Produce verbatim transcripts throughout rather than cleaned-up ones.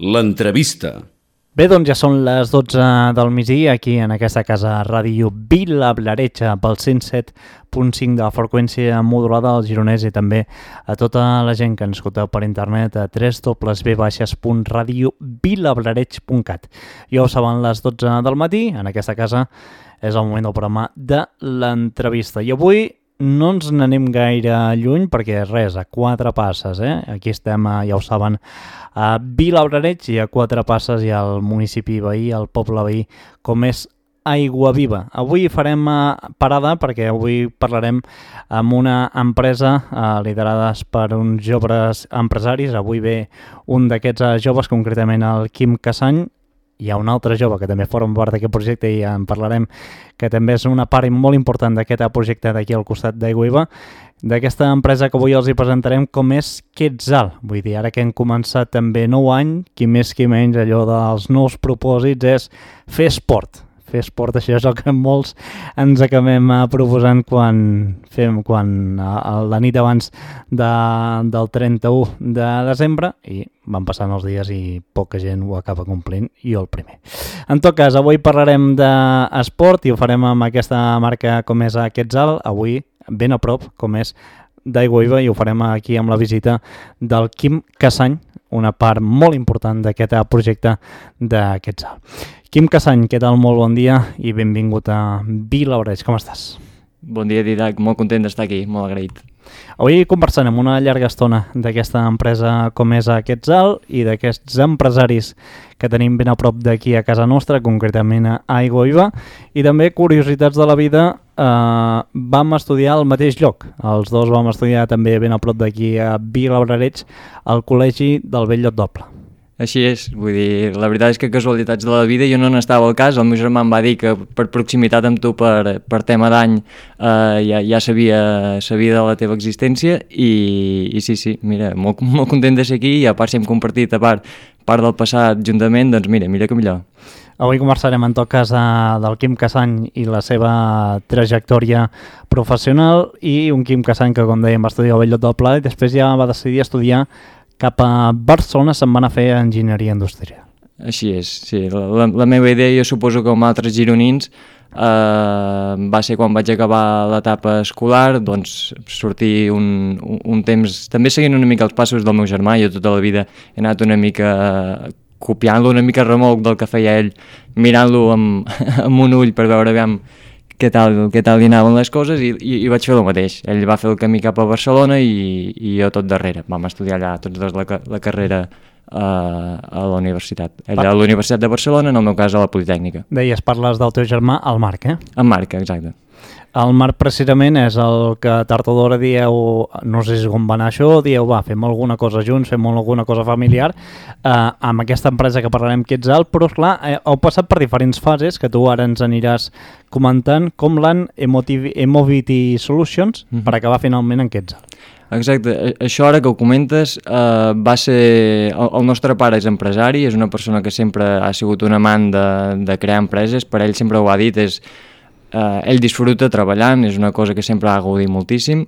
L'entrevista. Bé, doncs ja són les dotze del migdia aquí en aquesta casa ràdio Vila Blaretxa pel cent set punt cinc de la freqüència modulada al Gironès i també a tota la gent que ens escolteu per internet a w w w punt radio vilablareig punt cat. Ja ho saben, les dotze del matí, en aquesta casa és el moment del programa de l'entrevista. I avui no ens n'anem gaire lluny perquè res, a quatre passes, eh? Aquí estem, ja ho saben, a Vilablareig i a quatre passes hi ha el municipi veí, el poble veí, com és Aiguaviva. Avui farem parada perquè avui parlarem amb una empresa eh, liderades per uns joves empresaris. Avui ve un d'aquests joves, concretament el Quim Cassany. Hi ha un altre jove que també forma part d'aquest projecte i en parlarem, que també és una part molt important d'aquest projecte d'aquí al costat d'Aiguaviva, d'aquesta empresa que avui els hi presentarem, com és Quetzal. Vull dir, ara que hem començat també nou any, qui més qui menys, allò dels nous propòsits és fer esport. Fer esport, això és el que molts ens acabem proposant quan fem quan a la nit abans de, del trenta-u de desembre, i van passant els dies i poca gent ho acaba complint, i jo el primer. En tot cas, avui parlarem d'esport i ho farem amb aquesta marca com és Quetzal, avui ben a prop, com és d'Aiguaviva, i ho farem aquí amb la visita del Quim Cassany, una part molt important d'aquest projecte de Quetzal. Quim Cassany, què tal? Molt bon dia i benvingut a Vilablareig. Com estàs? Bon dia, Didac. Molt content d'estar aquí, molt agraït. Avui conversarem una llarga estona d'aquesta empresa com és Quetzal i d'aquests empresaris que tenim ben a prop d'aquí a casa nostra, concretament a Aiguaviva, i també curiositats de la vida. Eh, vam estudiar al mateix lloc. Els dos vam estudiar també ben a prop d'aquí a Vilablareig, al Col·legi del Bell-lloc d'Oble. Així és, vull dir, la veritat és que casualitats de la vida, jo no n'estava al cas, el meu germà em va dir que per proximitat amb tu, per, per tema d'any, eh, ja, ja sabia, sabia de la teva existència i, i sí, sí, mira, molt, molt content de ser aquí i a part si hem compartit a part, part del passat juntament, doncs mira, mira que millor. Avui conversarem en tot cas de, del Quim Cassany i la seva trajectòria professional i un Quim Cassany que, com dèiem, va estudiar al Bell-lloc d'Oble i després ja va decidir estudiar cap a Barcelona, se'n van a fer enginyeria industrial. Així és, sí. La, la, la meva idea, jo suposo que com altres gironins, eh, va ser quan vaig acabar l'etapa escolar, doncs sortir un, un, un temps, també seguint una mica els passos del meu germà. Jo tota la vida he anat una mica copiant-lo, una mica remolc del que feia ell, mirant-lo amb, amb un ull per veure aviam què tal, què tal li anaven les coses i, i, i vaig fer el mateix. Ell va fer el camí cap a Barcelona i, i jo tot darrere. Vam estudiar allà tots dos la, la carrera uh, a la universitat. Ell a la Universitat de Barcelona, en el meu cas a la Politècnica. Deies, parles del teu germà, el Marc, eh? En Marc, exacte. El Marc precisament és el que tard o d'hora dieu, no sé si com va anar això, dieu, va, fem alguna cosa junts, fem alguna cosa familiar, eh, amb aquesta empresa que parlarem Quetzal, però esclar, eh, heu passat per diferents fases, que tu ara ens aniràs comentant, com l'han Emotivity Solutions, mm-hmm. per acabar finalment en Quetzal. Exacte, això ara que ho comentes, eh, va ser... El, el nostre pare és empresari, és una persona que sempre ha sigut un amant de, de crear empreses, per ell sempre ho ha dit, és... Uh, ell disfruta treballant, és una cosa que sempre ha gaudit moltíssim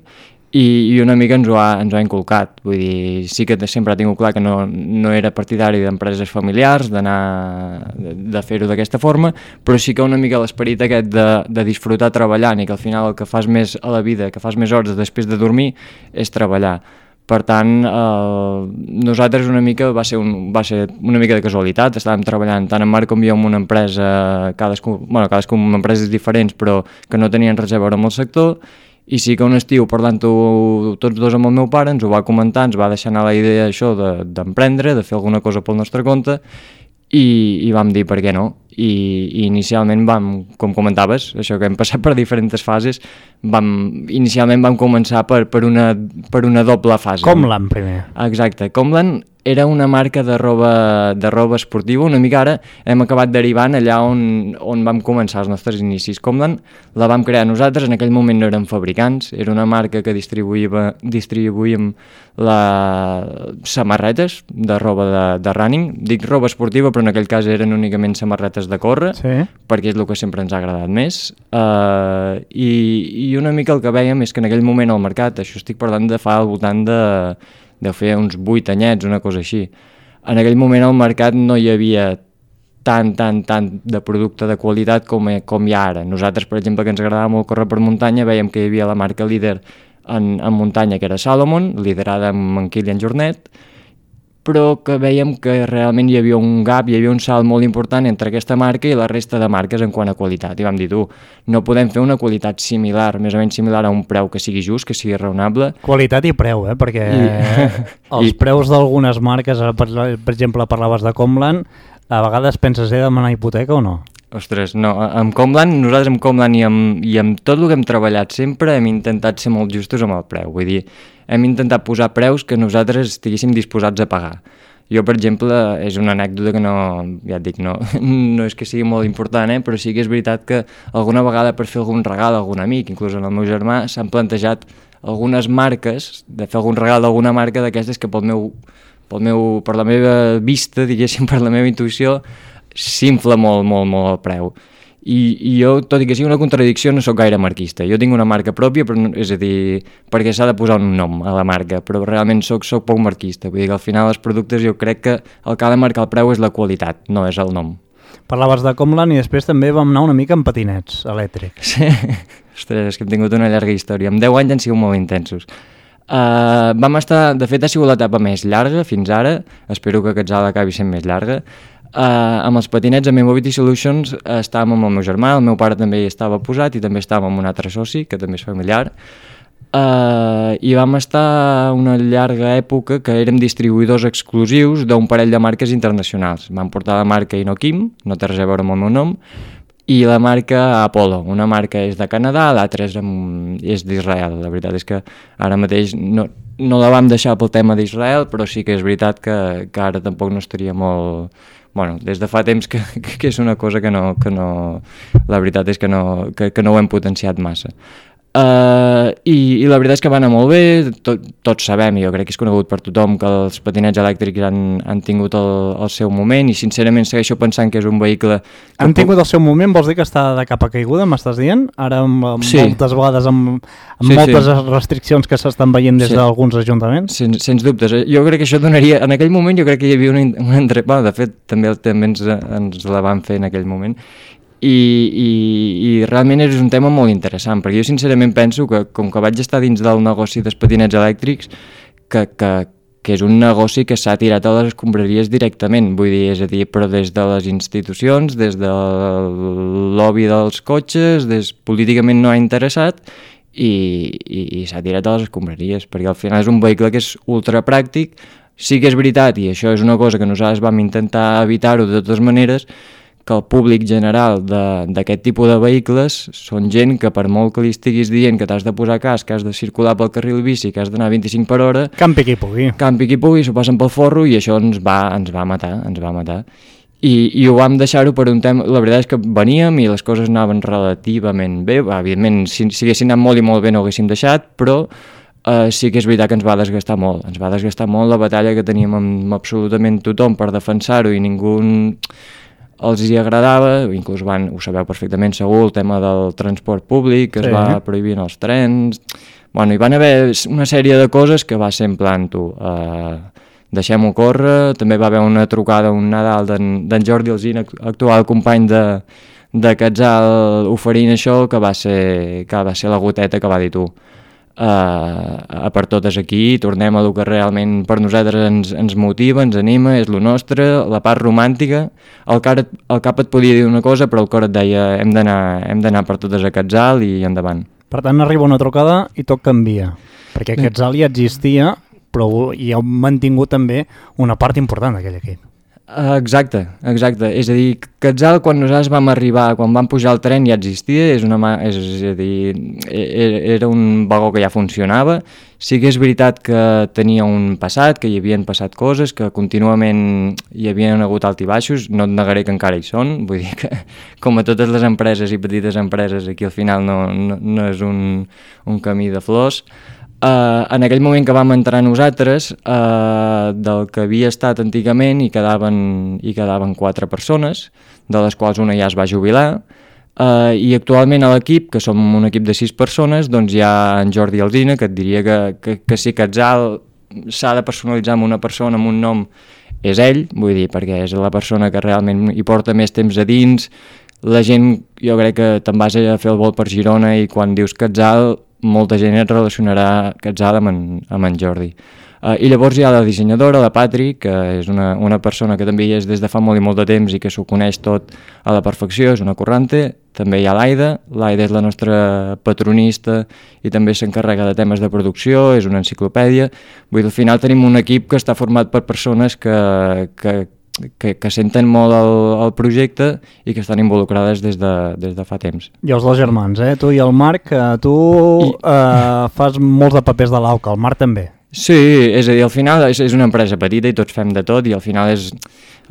i, i una mica ens ho, ha, ens ho ha inculcat. Vull dir, sí que sempre ha tingut clar que no, no era partidari d'empreses familiars, d'anar de, de fer-ho d'aquesta forma, però sí que una mica l'esperit aquest de, de disfrutar treballant i que al final el que fas més a la vida, que fas més hores després de dormir, és treballar. Per tant, eh, nosaltres una mica va ser, un, va ser una mica de casualitat, estàvem treballant tant en Marc com jo en una empresa, cadascú, bueno, cadascú amb empreses diferents però que no tenien res a veure amb el sector, i sí que un estiu parlant-ho tots dos amb el meu pare ens ho va comentar, ens va deixar anar la idea això de, d'emprendre, de fer alguna cosa pel nostre compte i, i vam dir per què no. I, i inicialment vam, com comentaves, això que hem passat per diferents fases, vam, inicialment vam començar per, per, una, per una doble fase. Comlan primer. Exacte, Comlan era una marca de roba, de roba esportiva, una mica ara hem acabat derivant allà on, on vam començar els nostres inicis. Comlan la vam crear nosaltres, en aquell moment no érem fabricants, era una marca que distribuïa, distribuïm la samarretes de roba de, de running, dic roba esportiva però en aquell cas eren únicament samarretes de córrer, sí. Perquè és el que sempre ens ha agradat més, uh, i, i una mica el que veiem és que en aquell moment al mercat, això estic parlant de fa al voltant de, de fer uns vuit anyets, una cosa així, en aquell moment al mercat no hi havia tant, tant, tant de producte de qualitat com, com hi ha ara. Nosaltres, per exemple, que ens agradava molt córrer per muntanya, veiem que hi havia la marca líder en, en muntanya, que era Salomon, liderada amb en Kilian Jornet, però que veiem que realment hi havia un gap, hi havia un salt molt important entre aquesta marca i la resta de marques en quant a qualitat. I vam dir, tu, no podem fer una qualitat similar, més o menys similar a un preu que sigui just, que sigui raonable. Qualitat i preu, eh? Perquè I... els I... preus d'algunes marques, per, per exemple, parlaves de Comland, a vegades penses, he de demanar hipoteca o no? Ostres, no, amb Comland, nosaltres amb Comland i amb, i amb tot el que hem treballat sempre hem intentat ser molt justos amb el preu, vull dir, hem intentat posar preus que nosaltres estiguéssim disposats a pagar. Jo, per exemple, és una anècdota que no, ja et dic, no, no és que sigui molt important, eh? Però sí que és veritat que alguna vegada per fer algun regal a algun amic, inclús en el meu germà, s'han plantejat algunes marques, de fer algun regal d'alguna marca d'aquestes que pel meu, pel meu, per la meva vista, diguéssim, per la meva intuïció, s'infla molt, molt, molt el preu. I, I jo, tot i que sigui una contradicció, no sóc gaire marquista. Jo tinc una marca pròpia, però no, és a dir, perquè s'ha de posar un nom a la marca, però realment soc, soc poc marquista. Vull dir que al final els productes jo crec que el que ha de marcar el preu és la qualitat, no és el nom. Parlaves de Comland i després també vam anar una mica amb patinets elèctrics. Sí, ostres, és que hem tingut una llarga història. Amb deu anys han sigut molt intensos. Uh, vam estar, de fet ha sigut l'etapa més llarga fins ara, espero que aquest salt acabi sent més llarga. Uh, amb els patinets, amb Mobility Solutions, uh, estàvem amb el meu germà, el meu pare també hi estava posat i també estàvem amb un altre soci, que també és familiar, uh, i vam estar una llarga època que érem distribuïdors exclusius d'un parell de marques internacionals. Vam portar la marca Inokim, no té res a veure amb el meu nom, i la marca Apollo. Una marca és de Canadà, l'altra és, és d'Israel. La veritat és que ara mateix no, no la vam deixar pel tema d'Israel, però sí que és veritat que, que ara tampoc no estaria molt... Bueno, des de fa temps que, que és una cosa que no, que no... La veritat és que no, que, que no ho hem potenciat massa. Uh, i, i la veritat és que va anar molt bé, tot, tots sabem, i jo crec que és conegut per tothom, que els patinets elèctrics han, han tingut el, el seu moment, i sincerament segueixo pensant que és un vehicle... Han tingut el seu moment, vols dir que està de capa caiguda, m'estàs dient? Ara amb, amb sí. moltes vegades amb, amb sí, moltes sí. restriccions que s'estan veient des sí. d'alguns ajuntaments? Sens, sens dubtes, jo crec que això donaria... En aquell moment jo crec que hi havia una, una entre... Bueno, de fet, també, també ens, ens la van fer en aquell moment. I, i, i realment és un tema molt interessant, perquè jo sincerament penso que com que vaig estar dins del negoci dels patinets elèctrics, que, que, que és un negoci que s'ha tirat a les escombraries directament, vull dir, és a dir, però des de les institucions, des del lobby dels cotxes, des, políticament no ha interessat, i, i, i s'ha tirat a les escombraries, perquè al final és un vehicle que és ultra pràctic. Sí que és veritat, i això és una cosa que nosaltres vam intentar evitar-ho de totes maneres, que el públic general d'aquest tipus de vehicles són gent que per molt que li estiguis dient que t'has de posar casc, que has de circular pel carril bici, que has d'anar a vint-i-cinc per hora... Campi qui pugui. Campi qui pugui, s'ho passen pel forro i això ens va, ens va matar, ens va matar. I, i ho vam deixar-ho per un tema... La veritat és que veníem i les coses anaven relativament bé. Evidentment, si, si haguessin anat molt i molt bé no ho haguéssim deixat, però uh, sí que és veritat que ens va desgastar molt. Ens va desgastar molt la batalla que teníem amb absolutament tothom per defensar-ho i ningú... els hi agradava, inclús van, ho sabeu perfectament segur, el tema del transport públic, que sí. es va prohibir els trens... Bueno, hi van haver una sèrie de coses que va ser en plan, tu, uh, deixem-ho córrer, també va haver una trucada un Nadal d'en Jordi Alsina, actual company de, de Quetzal, oferint això, que va ser, que va ser la goteta que va dir tu. Uh, per totes aquí, tornem a el que realment per nosaltres ens, ens motiva, ens anima, és lo nostre, la part romàntica. El, car, el cap et podia dir una cosa, però el cor et deia hem d'anar hem d'anar per totes a Quetzal i endavant. Per tant, arriba una trucada i tot canvia, perquè Quetzal ja existia, però hi ha mantingut també una part important d'aquell equip. Exacte, exacte. És a dir, Quetzal, quan nosaltres vam arribar, quan vam pujar al tren ja existia, és, una, és a dir, era un vagó que ja funcionava. Sí que és veritat que tenia un passat, que hi havien passat coses, que contínuament hi havien hagut alt i baixos, no et negaré que encara hi són, vull dir que com a totes les empreses i petites empreses aquí al final no, no, no és un, un camí de flors. Uh, en aquell moment que vam entrar nosaltres, uh, del que havia estat antigament hi quedaven, hi quedaven quatre persones, de les quals una ja es va jubilar, uh, i actualment a l'equip, que som un equip de sis persones, doncs hi ha en Jordi Alsina, que et diria que, que, que si Quetzal s'ha de personalitzar amb una persona, amb un nom, és ell, vull dir, perquè és la persona que realment hi porta més temps a dins. La gent, jo crec que te'n vas a fer el vol per Girona i quan dius Quetzal, molta gent et relacionarà Quetzal amb en, amb en Jordi. Uh, I llavors hi ha la dissenyadora, la Patri, que és una, una persona que també hi és des de fa molt i molt de temps i que s'ho coneix tot a la perfecció, és una currante. També hi ha l'Aida, l'Aida és la nostra patronista i també s'encarrega de temes de producció, és una enciclopèdia. Vull dir, al final tenim un equip que està format per persones que, que, que, que senten molt el, el projecte i que estan involucrades des de, des de fa temps. I els dos germans, eh? Tu i el Marc, tu I... eh, fas molts de papers de l'Auca, el Marc també. Sí, és a dir, al final és, és una empresa petita i tots fem de tot i al final és,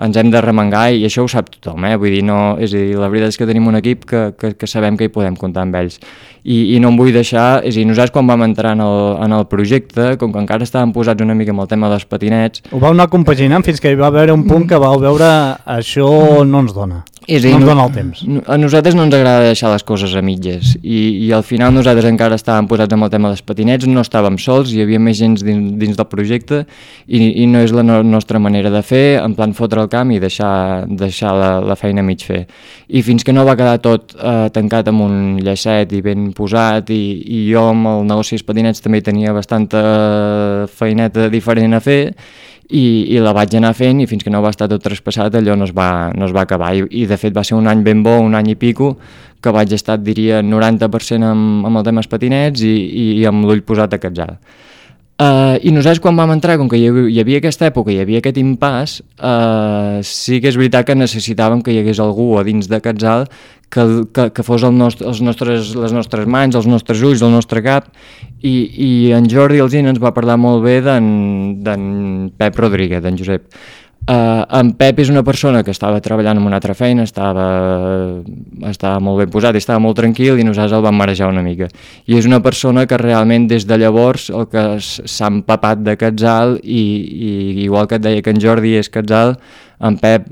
ens hem de remengar i això ho sap tothom, eh? Vull dir, no, és a dir, la veritat és que tenim un equip que, que, que sabem que hi podem comptar amb ells i, i no em vull deixar, és a dir, nosaltres quan vam entrar en el, en el projecte, com que encara estàvem posats una mica amb el tema dels patinets... Ho vau anar compaginant fins que hi va haver un punt que vau veure això no ens dona. És dir, no ens dona el temps. A nosaltres no ens agrada deixar les coses a mitges i, i al final nosaltres encara estàvem posats amb el tema dels patinets, no estàvem sols, hi havia més gent dins, dins del projecte i, i no és la no, nostra manera de fer, en plan fotre el camp i deixar, deixar la, la feina a mig fer. I fins que no va quedar tot eh, tancat amb un llacet i ben posat i, i jo amb el negoci dels patinets també tenia bastanta feineta diferent a fer I, i la vaig anar fent i fins que no va estar tot traspassat allò no es va, no es va acabar I, i de fet va ser un any ben bo, un any i pico que vaig estar, diria, noranta per cent amb, amb el tema dels patinets i, i, i amb l'ull posat a Quetzal. Uh, I nosaltres quan vam entrar, com que hi havia, hi havia aquesta època, hi havia aquest impàs, uh, sí que és veritat que necessitàvem que hi hagués algú a dins de Quetzal que, que, que fos el nostre, els nostres, les nostres mans, els nostres ulls, el nostre cap, i, i en Jordi Alsina ens va parlar molt bé d'en Pep Rodríguez, d'en Josep. Uh, en Pep és una persona que estava treballant en una altra feina, estava, estava molt ben posat i estava molt tranquil i nosaltres el vam marejar una mica. I és una persona que realment des de llavors el que s'ha empapat de Quetzal i, i igual que et deia que en Jordi és Quetzal, en Pep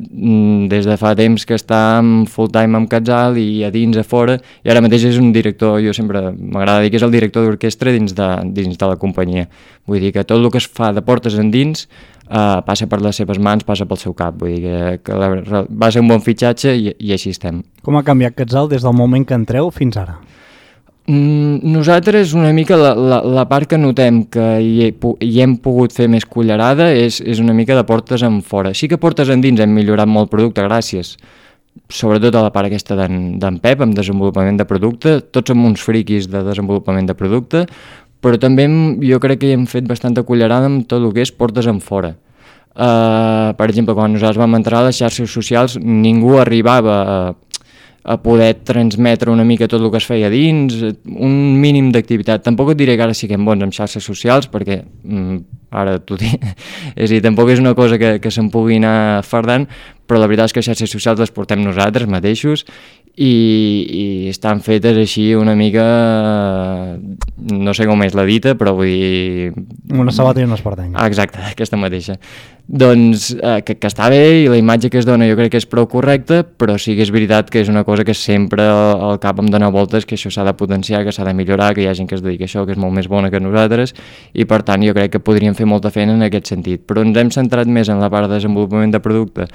des de fa temps que està full time amb Quetzal i a dins, a fora, i ara mateix és un director, jo sempre m'agrada dir que és el director d'orquestra dins, de, dins de la companyia. Vull dir que tot el que es fa de portes endins Uh, passa per les seves mans, passa pel seu cap, vull dir que, que la, va ser un bon fitxatge i, i així estem. Com ha canviat Quetzal des del moment que entreu fins ara? Mm, nosaltres una mica la, la, la part que notem que hi, he, hi hem pogut fer més cullerada és, és una mica de portes en fora. Sí que portes endins hem millorat molt el producte gràcies sobretot a la part aquesta d'en Pep amb desenvolupament de producte, tots som uns friquis de desenvolupament de producte, però també jo crec que hi hem fet bastanta cullerada amb tot el que és portes en fora. Uh, per exemple, quan nosaltres vam entrar a les xarxes socials, ningú arribava a, a poder transmetre una mica tot el que es feia dins, un mínim d'activitat. Tampoc et diré que ara siguem bons amb xarxes socials, perquè mm, ara t'ho dic, és a dir, tampoc és una cosa que, que se'n pugui anar fardant, però la veritat és que les xarxes socials les portem nosaltres mateixos i, i estan fetes així una mica, no sé com és la dita, però vull dir... Una sabata i una espardenga. Ah, exacte, aquesta mateixa. Doncs eh, que, que està bé i la imatge que es dona jo crec que és prou correcta, però sí que és veritat que és una cosa que sempre al cap em dona voltes, que això s'ha de potenciar, que s'ha de millorar, que hi ha gent que es dedica a això, que és molt més bona que nosaltres, i per tant jo crec que podríem fer molta feina en aquest sentit. Però ens hem centrat més en la part de desenvolupament de producte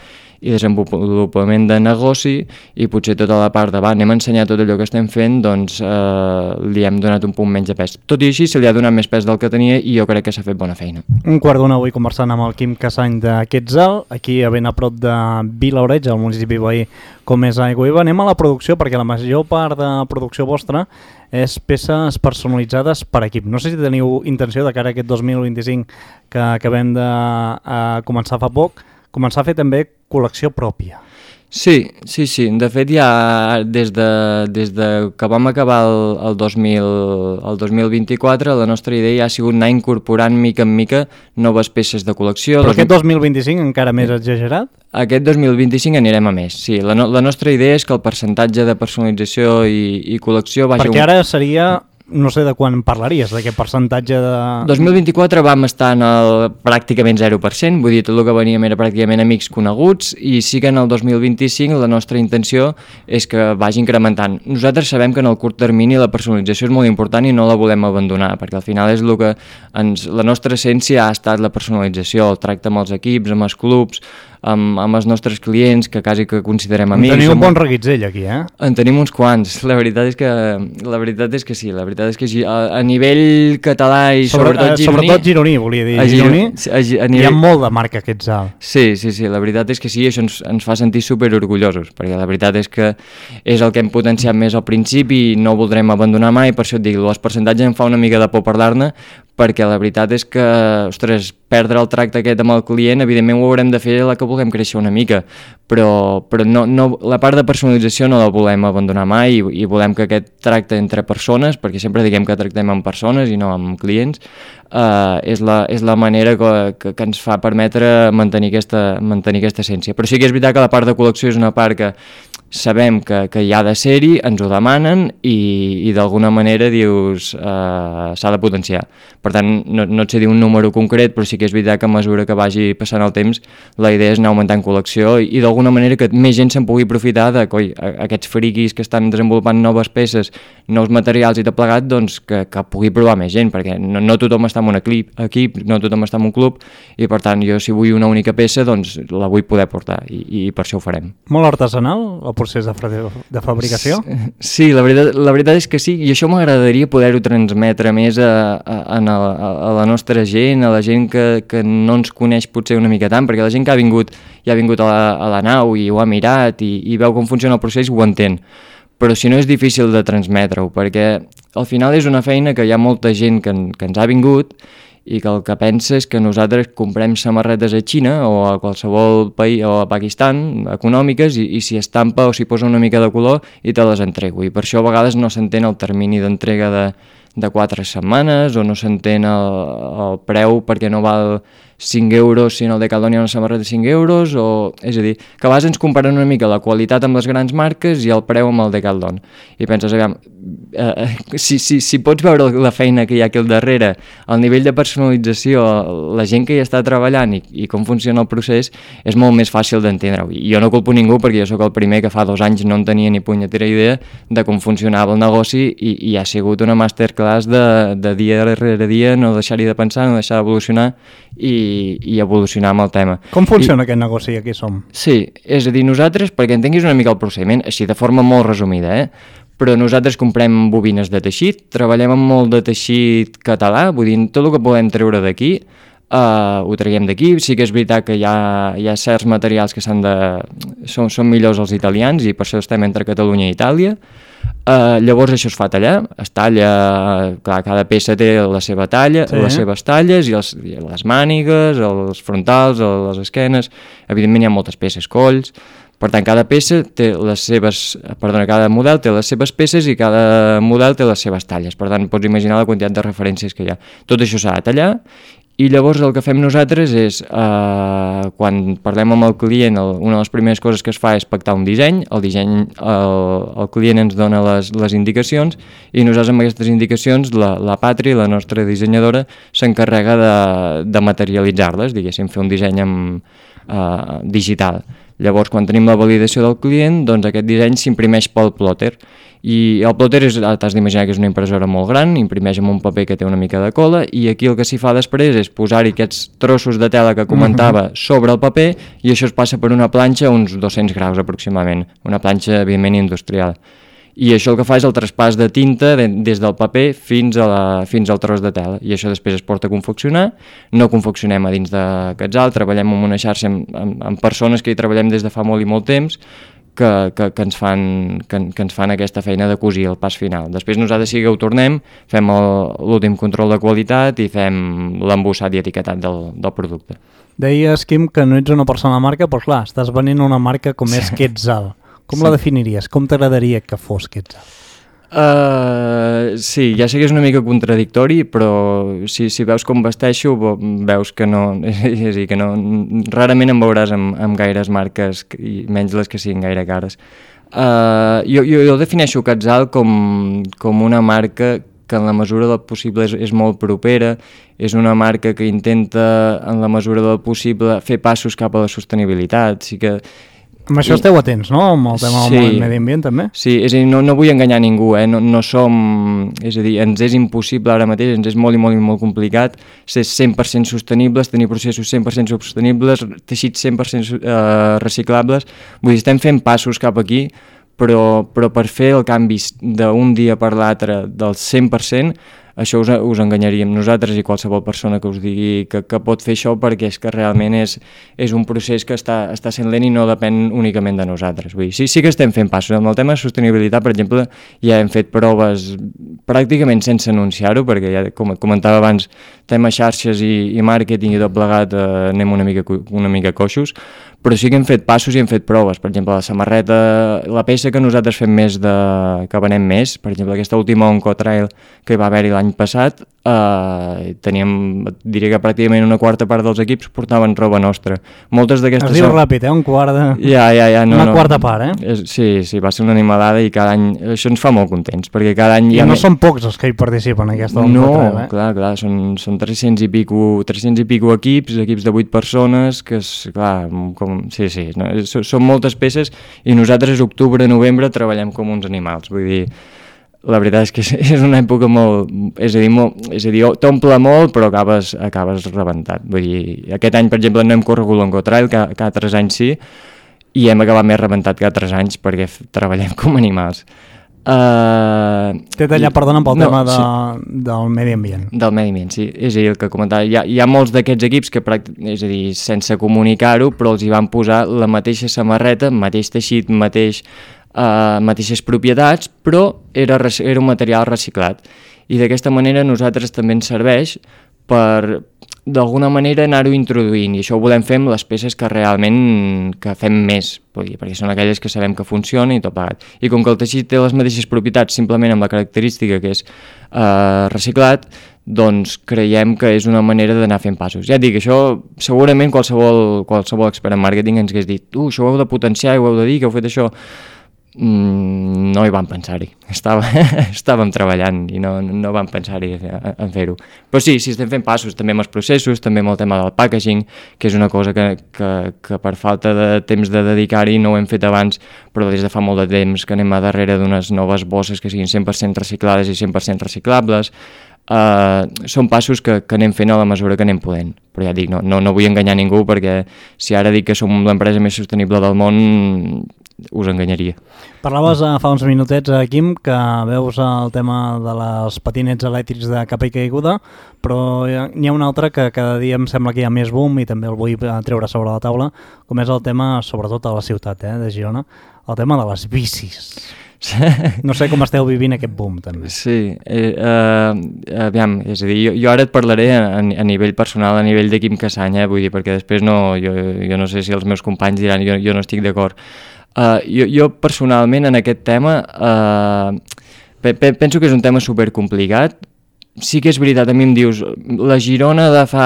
i desenvolupament de negoci i potser tota la part de va, anem a ensenyar tot allò que estem fent, doncs eh, li hem donat un punt menys de pes. Tot i així se li ha donat més pes del que tenia i jo crec que s'ha fet bona feina. Un quart d'una avui conversant amb el Quim Cassany de Quetzal, aquí a ben a prop de Vilaoreig, al municipi veí com és Aigüeva. Anem a la producció perquè la major part de producció vostra és peces personalitzades per equip. No sé si teniu intenció de cara a aquest dos mil vint-i-cinc que acabem de uh, començar fa poc, començar a fer també col·lecció pròpia. Sí, sí, sí. De fet, ja des de, des de que vam acabar el, el, dos mil, el dos mil vint-i-quatre, la nostra idea ja ha sigut anar incorporant mica en mica noves peces de col·lecció. Però aquest dos mil vint-i-cinc encara més exagerat? Aquest dos mil vint-i-cinc anirem a més, sí. La, no, la nostra idea és que el percentatge de personalització i, i col·lecció vagi... Perquè ara seria no sé de quan parlaries, d'aquest percentatge de... dos mil vint-i-quatre vam estar en el pràcticament zero per cent, vull dir, tot el que veníem era pràcticament amics coneguts, i sí que en el dos mil vint-i-cinc la nostra intenció és que vagi incrementant. Nosaltres sabem que en el curt termini la personalització és molt important i no la volem abandonar, perquè al final és el que ens... la nostra essència ha estat la personalització, el tracte amb els equips, amb els clubs, amb, amb els nostres clients, que quasi que considerem amics. En teniu un bon reguitzell aquí, eh? En tenim uns quants, la veritat és que, la veritat és que sí, la veritat és que a, a nivell català i Sobre, sobretot gironí... Sobretot gironí, volia dir, a gironí, a, a, a nivell... hi ha molt de marca Quetzal. Sí, sí, sí, la veritat és que sí, això ens, ens fa sentir superorgullosos, perquè la veritat és que és el que hem potenciat més al principi i no voldrem abandonar mai, per això et dic, els percentatges em fa una mica de por parlar-ne, perquè la veritat és que, ostres, perdre el tracte aquest amb el client, evidentment ho haurem de fer la que vulguem créixer una mica, però, però no, no, la part de personalització no la volem abandonar mai i, i volem que aquest tracte entre persones, perquè sempre diguem que tractem amb persones i no amb clients, eh, és, la, és la manera que, que, que ens fa permetre mantenir aquesta, mantenir aquesta essència. Però sí que és veritat que la part de col·lecció és una part que sabem que, que hi ha de ser-hi, ens ho demanen i, i d'alguna manera dius eh, s'ha de potenciar. Per tant, no, no et sé dir un número concret, però sí que és veritat que a mesura que vagi passant el temps la idea és anar augmentant col·lecció i, i d'alguna manera que més gent se'n pugui aprofitar de coi, aquests friquis que estan desenvolupant noves peces, nous materials i tot plegat, doncs que, que pugui provar més gent, perquè no, no tothom està en un equip, equip, no tothom està en un club i per tant jo si vull una única peça doncs la vull poder portar i, i per això ho farem. Molt artesanal el procés de, de fabricació? Sí, la veritat, la veritat és que sí, i això m'agradaria poder-ho transmetre més a, a, a, a, a la nostra gent, a la gent que, que no ens coneix potser una mica tant, perquè la gent que ha vingut ja ha vingut a la, a la nau i ho ha mirat i, i veu com funciona el procés ho entén, però si no és difícil de transmetre-ho, perquè al final és una feina que hi ha molta gent que, que ens ha vingut i que el que pensa és que nosaltres comprem samarretes a Xina o a qualsevol país o a Pakistan econòmiques i, i s'hi estampa o s'hi posa una mica de color i te les entrego, i per això a vegades no s'entén el termini d'entrega de, de quatre setmanes o no s'entén el, el preu perquè no val cinc euros si en el Decathlon hi ha una samarreta de cinc euros, o, és a dir, que a vegades ens comparen una mica la qualitat amb les grans marques i el preu amb el Decathlon, i penses, aviam, eh, si, si, si pots veure la feina que hi ha aquí al darrere, el nivell de personalització, la gent que hi està treballant i, i com funciona el procés, és molt més fàcil d'entendre-ho, i jo no culpo ningú perquè jo sóc el primer que fa dos anys no en tenia ni punyetera idea de com funcionava el negoci i, i ha sigut una masterclass de, de dia rere dia, no deixar-hi de pensar, no deixar d'evolucionar i i evolucionar amb el tema. Com funciona I, aquest negoci? Aquí som. Sí, és a dir, nosaltres, perquè entenguis una mica el procediment, així de forma molt resumida, eh? però nosaltres comprem bobines de teixit, treballem amb molt de teixit català, vull dir, tot el que podem treure d'aquí, Uh, ho traiem d'aquí. Sí que és veritat que hi ha, hi ha certs materials que s'han de... Són, són millors els italians i per això estem entre Catalunya i Itàlia. Uh, llavors això es fa tallar, es talla, clar, cada peça té la seva talla, sí. les seves talles i, els, i les mànigues, els frontals, les esquenes, evidentment hi ha moltes peces, colls, per tant cada peça té les seves, perdona, cada model té les seves peces i cada model té les seves talles, per tant pots imaginar la quantitat de referències que hi ha. Tot això s'ha de tallar i llavors el que fem nosaltres és, eh, quan parlem amb el client, el, una de les primeres coses que es fa és pactar un disseny, el disseny, el, el client ens dona les, les indicacions i nosaltres amb aquestes indicacions, la, la Patri, la nostra dissenyadora, s'encarrega de, de materialitzar-les, diguéssim, fer un disseny amb, eh, digital. Llavors, quan tenim la validació del client, doncs aquest disseny s'imprimeix pel plotter. I el plotter és, t'has d'imaginar que és una impressora molt gran, imprimeix amb un paper que té una mica de cola, i aquí el que s'hi fa després és posar-hi aquests trossos de tela que comentava sobre el paper, i això es passa per una planxa a uns dos-cents graus aproximadament, una planxa evidentment industrial. I això el que fa és el traspàs de tinta de, des del paper fins, a la, fins al tros de tela, i això després es porta a confeccionar. No confeccionem a dins de Quetzal, treballem amb una xarxa amb, amb, amb persones que hi treballem des de fa molt i molt temps, que, que, que, ens fan, que, que ens fan aquesta feina de cosir el pas final. Després nosaltres sí que ho tornem, fem l'últim control de qualitat i fem l'embossat i etiquetat del, del producte. Deies, Quim, que no ets una persona de marca, però clar, estàs venent una marca com és Quetzal. Com sí. la definiries? Com t'agradaria que fos Quetzal? Uh, sí, ja sé que és una mica contradictori, però si, si veus com vesteixo, veus que no, és a dir, que no, rarament em veuràs amb, amb gaires marques, i menys les que siguin gaire cares. Uh, jo, jo, jo defineixo Quetzal com, com una marca que en la mesura del possible és, és molt propera, és una marca que intenta en la mesura del possible fer passos cap a la sostenibilitat, sí que... Amb això esteu atents, no? Amb el tema sí, del medi ambient, també? Sí, és a dir, no, no vull enganyar ningú, eh? no, no som... És a dir, ens és impossible ara mateix, ens és molt i molt i molt complicat ser cent per cent sostenibles, tenir processos cent per cent sostenibles, teixits cent per cent eh, reciclables, vull dir, estem fent passos cap aquí, però, però per fer el canvi d'un dia per l'altre del cent per cent, això us, us enganyaríem nosaltres i qualsevol persona que us digui que, que pot fer això, perquè és que realment és, és un procés que està, està sent lent i no depèn únicament de nosaltres. Vull dir, sí, sí que estem fent passos. Amb el tema de sostenibilitat, per exemple, ja hem fet proves pràcticament sense anunciar-ho, perquè ja, com comentava abans, tema xarxes i, i màrqueting i tot plegat eh, anem una mica, una mica coixos, però sí que hem fet passos i hem fet proves. Per exemple, la samarreta, la peça que nosaltres fem més de... que venem més, per exemple, aquesta última Oncotrail que hi va haver-hi l'any passat, eh, teníem, diria que pràcticament una quarta part dels equips portaven roba nostra. Moltes d'aquestes... Es diu són... ràpid, eh? Un quart de... Ja, ja, ja, no, una no. quarta part, eh? És, sí, sí, va ser una animalada i cada any... Això ens fa molt contents, perquè cada any... I ja no me... són pocs els que hi participen en aquesta Oncotrail, eh? No, clar, clar, són, són tres-cents i pico, tres-cents i pico equips, equips de vuit persones, que és, clar, com... Sí, sí, no? Són moltes peces i nosaltres octubre, novembre treballem com uns animals, vull dir, la veritat és que és una època molt, és a dir, molt, és a dir t'omple molt però acabes, acabes rebentat, vull dir, aquest any per exemple no hem corregut l'Oncotrail, que cada tres anys sí, i hem acabat més rebentat que altres anys perquè treballem com animals. Uh, T'he tallat, perdona, pel no, tema de, sí, del medi ambient. Del medi ambient, sí. És a dir, el que comentava, hi ha, hi ha molts d'aquests equips que, és a dir, sense comunicar-ho, però els hi van posar la mateixa samarreta, mateix teixit, mateix, uh, mateixes propietats, però era, era un material reciclat. I d'aquesta manera nosaltres també ens serveix per, d'alguna manera, anar-ho introduint, i això ho volem fer amb les peces que realment que fem més, vull dir, perquè són aquelles que sabem que funcionen i tot plegat. I com que el teixit té les mateixes propietats simplement amb la característica que és eh, reciclat, doncs creiem que és una manera d'anar fent passos. Ja et dic, això segurament qualsevol, qualsevol expert en màrqueting ens hagués dit uh, això ho heu de potenciar, ho heu de dir, que heu fet això. Mm, no hi vam pensar-hi, Estava, estàvem treballant i no, no vam pensar-hi en fer-ho, però sí, sí estem fent passos també amb els processos, també amb el tema del packaging, que és una cosa que, que, que per falta de temps de dedicar-hi no ho hem fet abans, però des de fa molt de temps que anem a darrere d'unes noves bosses que siguin cent per cent reciclades i cent per cent reciclables. Uh, són passos que, que anem fent a la mesura que anem podent, però ja dic, no, no, no vull enganyar ningú, perquè si ara dic que som l'empresa més sostenible del món us enganyaria. Parlaves uh, fa uns minutets, uh, Quim, que veus el tema de les patinets elèctrics de capa i caiguda, però n'hi ha un altre que cada dia em sembla que hi ha més boom i també el vull treure sobre la taula, com és el tema, sobretot a la ciutat eh, de Girona, el tema de les bicis. No sé com esteu vivint aquest boom, també. Sí, eh, eh, aviam, és a dir, jo, jo ara et parlaré a, a nivell personal, a nivell de Quim Cassany, eh, vull dir, perquè després no, jo, jo no sé si els meus companys diran, jo, jo no estic d'acord. Uh, jo, jo personalment en aquest tema uh, pe pe penso que és un tema supercomplicat. Sí que és veritat, a mi em dius la Girona de fa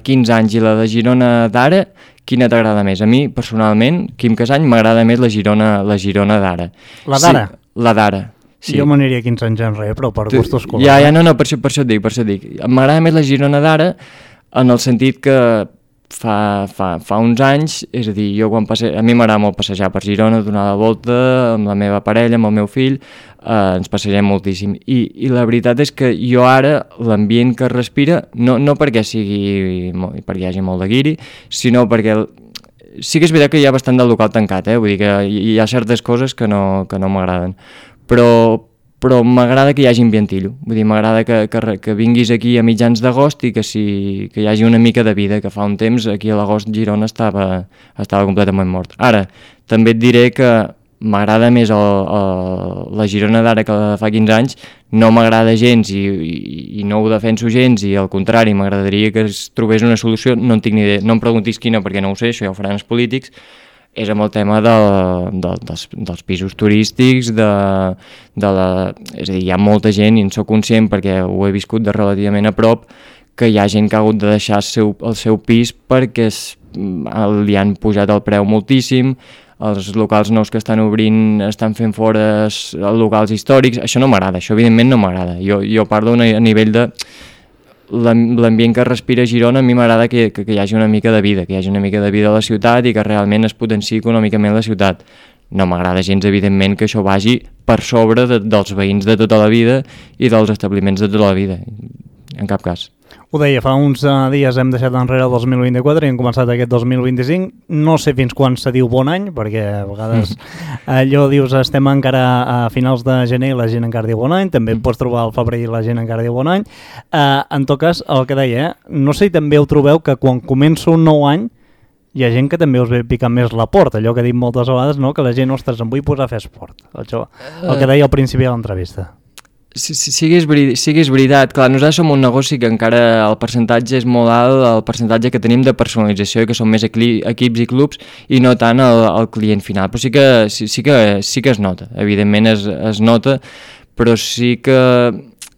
quinze anys i la de Girona d'ara, quina t'agrada més? A mi personalment, Quim Cassany, m'agrada més la Girona, la Girona d'ara. La d'ara? Sí, la d'ara. Sí. Jo m'aniria quinze anys enrere, però per gustos colors. Ja, ja, no, no, per això, per això et dic, per això et dic. M'agrada més la Girona d'ara en el sentit que Fa, fa, fa uns anys, és a dir, jo quan passe... a mi m'agrada molt passejar per Girona, donar la volta amb la meva parella, amb el meu fill, eh, ens passegem moltíssim. I, I la veritat és que jo ara, l'ambient que respira, no, no perquè sigui perquè hi hagi molt de guiri, sinó perquè sí que és veritat que hi ha bastant del local tancat, eh? Vull dir que hi ha certes coses que no, que no m'agraden, però però m'agrada que hi hagi ambientillo, vull dir, m'agrada que, que, que vinguis aquí a mitjans d'agost i que, si, que hi hagi una mica de vida, que fa un temps aquí a l'agost Girona estava, estava completament mort. Ara, també et diré que m'agrada més el, el, la Girona d'ara que la de fa quinze anys, no m'agrada gens i, i, i no ho defenso gens i al contrari, m'agradaria que es trobés una solució, no en tinc ni idea, no em preguntis quina perquè no ho sé, això ja ho faran els polítics, és amb el tema de, de, dels, dels pisos turístics, de, de la, és a dir, hi ha molta gent, i en soc conscient perquè ho he viscut de relativament a prop, que hi ha gent que ha hagut de deixar el seu, el seu pis perquè es, li han pujat el preu moltíssim, els locals nous que estan obrint estan fent fora locals històrics, això no m'agrada, això evidentment no m'agrada. Jo, jo parlo a nivell de l'ambient que respira Girona. A mi m'agrada que, que, que hi hagi una mica de vida, que hi hagi una mica de vida a la ciutat i que realment es potenciï econòmicament la ciutat. No m'agrada gens, evidentment, que això vagi per sobre de, dels veïns de tota la vida i dels establiments de tota la vida, en cap cas. Ho deia, fa uns uh, dies hem deixat enrere el dos mil vint-i-quatre i hem començat aquest dos mil vint-i-cinc. No sé fins quan se diu bon any, perquè a vegades allò dius estem encara a finals de gener i la gent encara diu bon any, també em pots trobar al febrer i la gent encara diu bon any. Uh, en tot cas, el que deia, eh? No sé si també ho trobeu que quan comença un nou any hi ha gent que també us ve picant més la porta, allò que he dit moltes vegades, no? Que la gent, ostres, em vull posar a fer esport. Això, el que deia al principi de l'entrevista. Sí, sí, sí, que és veri- sí que és veritat. Clar, nosaltres som un negoci que encara el percentatge és molt alt, el percentatge que tenim de personalització i que són més equi- equips i clubs i no tant el, el client final. Però sí que, sí, sí, que, sí que es nota, evidentment es, es nota, però sí que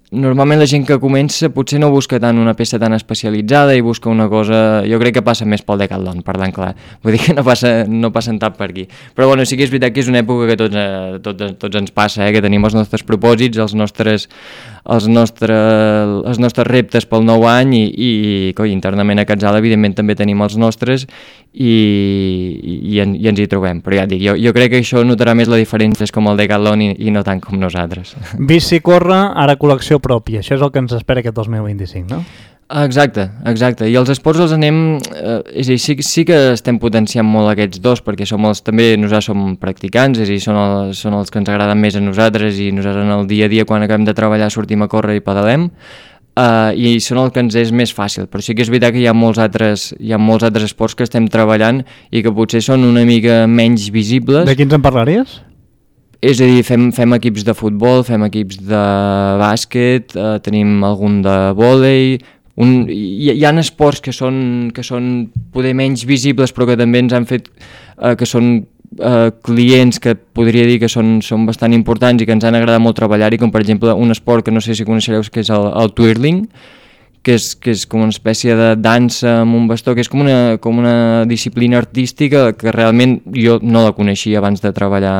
normalment la gent que comença potser no busca tant una peça tan especialitzada i busca una cosa, jo crec que passa més pel Decathlon, parlant clar, vull dir que no, passa, no passen tant per aquí, però bueno, sí que és veritat que és una època que tots, eh, tots, tots ens passa, eh, que tenim els nostres propòsits, els nostres, els nostres, els nostres reptes pel nou any i, i coi, internament a Catzal evidentment també tenim els nostres i, i, i, en, i ens hi trobem, però ja et dic, jo, jo crec que això notarà més la diferència és com el Decathlon i, i no tant com nosaltres. Bici corre, ara col·lecció pròpia, això és el que ens espera aquest dos mil vint-i-cinc, no? Exacte, exacte, i els esports els anem, eh, és a dir, sí, sí que estem potenciant molt aquests dos, perquè som els, també nosaltres som practicants, és a dir, són, el, són els que ens agraden més a nosaltres i nosaltres en el dia a dia quan acabem de treballar sortim a córrer i pedalem, eh, i són el que ens és més fàcil, però sí que és veritat que hi ha molts altres, hi ha molts altres esports que estem treballant i que potser són una mica menys visibles. De quins en parlaries? És a dir, fem, fem equips de futbol, fem equips de bàsquet, eh, tenim algun de vòlei, un, hi, hi ha esports que són, que són poder menys visibles però que també ens han fet, eh, que són eh, clients que podria dir que són, són bastant importants i que ens han agradat molt treballar-hi, com per exemple un esport que no sé si coneixereu, que és el, el twirling, que és, que és com una espècie de dansa amb un bastó, que és com una, com una disciplina artística que realment jo no la coneixia abans de treballar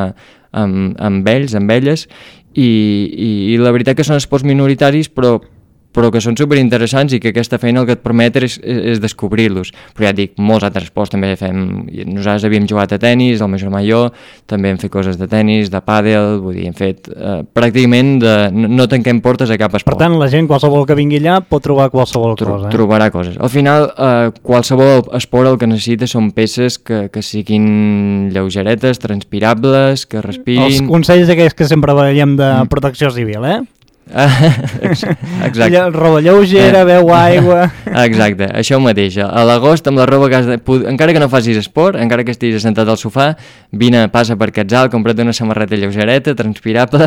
amb, amb ells, amb elles, i, i, i la veritat que són esports minoritaris, però, però que són superinteressants i que aquesta feina el que et permet és, és descobrir-los. Però ja et dic, molts altres esports també fem, nosaltres havíem jugat a tenis, el meu germà i jo, també hem fet coses de tenis, de pàdel, vull dir, hem fet eh, pràcticament de, no, no tanquem portes a cap esport. Per tant, la gent, qualsevol que vingui allà, pot trobar qualsevol Tro cosa. Eh? Trobarà coses. Al final, eh, qualsevol esport el que necessita són peces que, que siguin lleugeretes, transpirables, que respirin... Els consells aquells que sempre veiem de protecció civil, eh? Exacte. Roba lleugera, beu aigua... Exacte, això mateix. A l'agost, amb la roba que has de... encara que no facis esport, encara que estiguis assentat al sofà, vine, passa per Catzal, compra't una samarreta lleugereta, transpirable,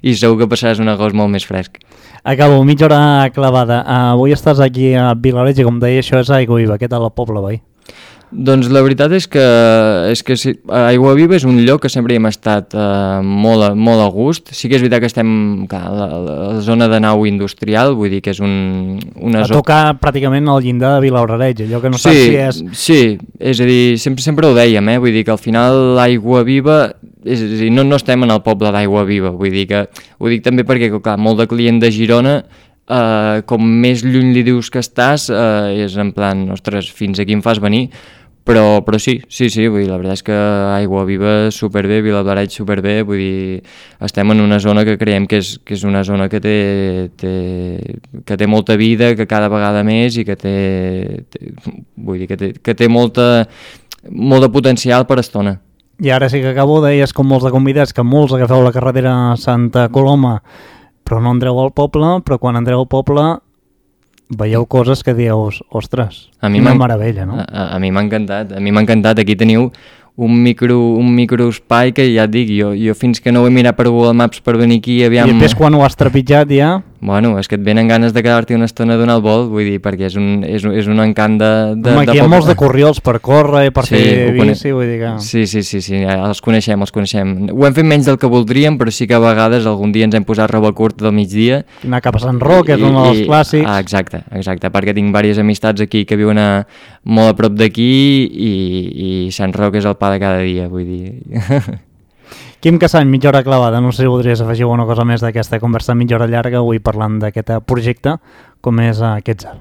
i segur que passaràs un agost molt més fresc. Acabo, mitja hora clavada. Uh, avui estàs aquí a Vilareig i com deia, això és Aigua Viva. Què tal el poble, veí? Doncs la veritat és que, és que sí, Aigua Viva és un lloc que sempre hi hem estat eh, molt, a, molt a gust. Sí que és veritat que estem clar, a la, la zona de nau industrial, vull dir que és un, una a tocar pràcticament al llindar de Vilareig, allò que no sí, saps si és... Sí, és a dir, sempre, sempre ho dèiem, eh? Vull dir que al final l'Aigua Viva, és a dir, no, no estem en el poble d'Aigua Viva, vull dir que, ho dic també perquè clar, molt de client de Girona, Uh, com més lluny li dius que estàs, uh, és en plan, ostres, fins aquí em fas venir, però, però sí, sí, sí, vull dir, la veritat és que Aigua Viva superbé, Vilablareix superbé, vull dir, estem en una zona que creiem que és, que és una zona que té, té, que té molta vida, que cada vegada més i que té, té vull dir, que té, que té molta, molt de potencial per estona. I ara sí que acabo, deies com molts de convidats que molts agafeu la carretera Santa Coloma però no entreu al poble, però quan entreu al poble veieu coses que dius, ostres, a mi una meravella, no? A, a, a mi m'ha encantat, a mi m'ha encantat, aquí teniu un micro, un microespai que ja et dic, jo, jo fins que no ho he mirat per Google Maps per venir aquí, aviam... I després quan ho has trepitjat ja... Bueno, és que et venen ganes de quedar-t'hi una estona a donar el vol, vull dir, perquè és un, és un, és un encant de... de Home, aquí de hi ha poble. molts de corriols per córrer i per Sí, fer ho cone- bici, vull dir que... Sí, sí, sí, sí, els coneixem, els coneixem. Ho hem fet menys del que voldríem, però sí que a vegades algun dia ens hem posat roba curta del migdia. Anar cap a Sant Roc, que és un dels clàssics. Ah, exacte, exacte, perquè tinc diverses amistats aquí que viuen a, molt a prop d'aquí i, i Sant Roc és el pa de cada dia, vull dir... Quim Cassany, mitja hora clavada. No sé si voldries afegir una cosa més d'aquesta conversa mitja hora llarga, avui parlant d'aquest projecte, com és aquest Quetzal.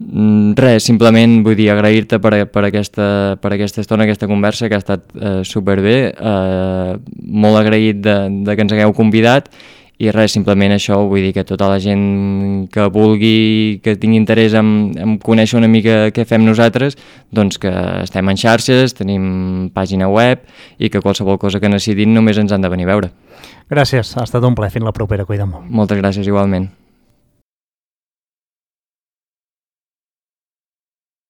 Mm, res, simplement vull dir agrair-te per, per, aquesta, per aquesta estona, aquesta conversa, que ha estat eh, superbé, eh, molt agraït de, de que ens hagueu convidat, i res, simplement això, vull dir que tota la gent que vulgui, que tingui interès en, en conèixer una mica què fem nosaltres, doncs que estem en xarxes, tenim pàgina web i que qualsevol cosa que necessitin només ens han de venir a veure. Gràcies, ha estat un plaer, fins la propera, cuida molt. Moltes gràcies igualment.